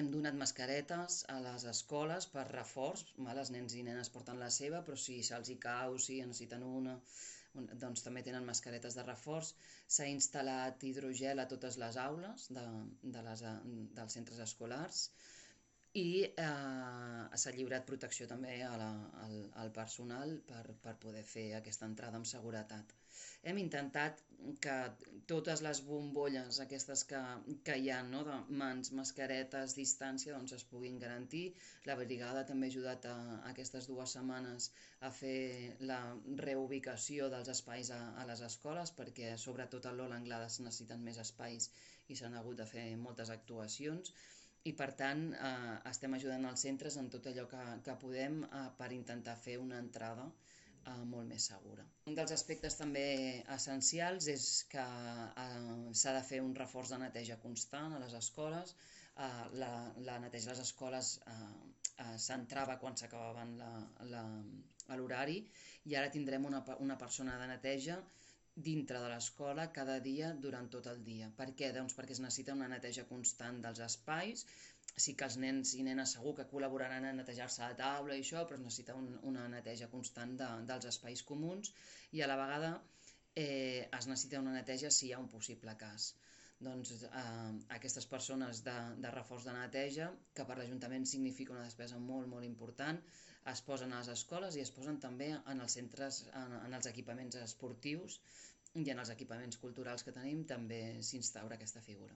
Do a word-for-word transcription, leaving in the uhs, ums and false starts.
Hem donat mascaretes a les escoles per reforç, val? Els nens i nenes porten la seva, però si se'ls hi cau, si en necessiten una, doncs també tenen mascaretes de reforç. S'ha instal·lat hidrogel a totes les aules de, de les, dels centres escolars i eh, s'ha lliurat protecció també a la, al, al personal per, per poder fer aquesta entrada amb seguretat. Hem intentat que totes les bombolles aquestes que, que hi ha, no, de mans, mascaretes, distància, doncs es puguin garantir. La brigada també ha ajudat a, a aquestes dues setmanes a fer la reubicació dels espais a, a les escoles, perquè sobretot a l'Ola Anglada es necessiten més espais i s'han hagut de fer moltes actuacions i per tant eh, estem ajudant els centres en tot allò que, que podem eh, per intentar fer una entrada eh, molt més segura. Un dels aspectes també essencials és que eh, s'ha de fer un reforç de neteja constant a les escoles. Eh, la, la neteja a les escoles eh, eh, s'entrava quan s'acabaven l'horari i ara tindrem una, una persona de neteja dintre de l'escola cada dia durant tot el dia. Per què? Doncs perquè es necessita una neteja constant dels espais. Sí que els nens i nenes segur que col·laboraran a netejar-se la taula i això, però es necessita un, una neteja constant de, dels espais comuns i a la vegada eh, es necessita una neteja si hi ha un possible cas. Doncs eh, aquestes persones de, de reforç de neteja, que per l'Ajuntament significa una despesa molt, molt important, es posen a les escoles i es posen també en els centres, en, en els equipaments esportius i en els equipaments culturals que tenim també s'instaura aquesta figura.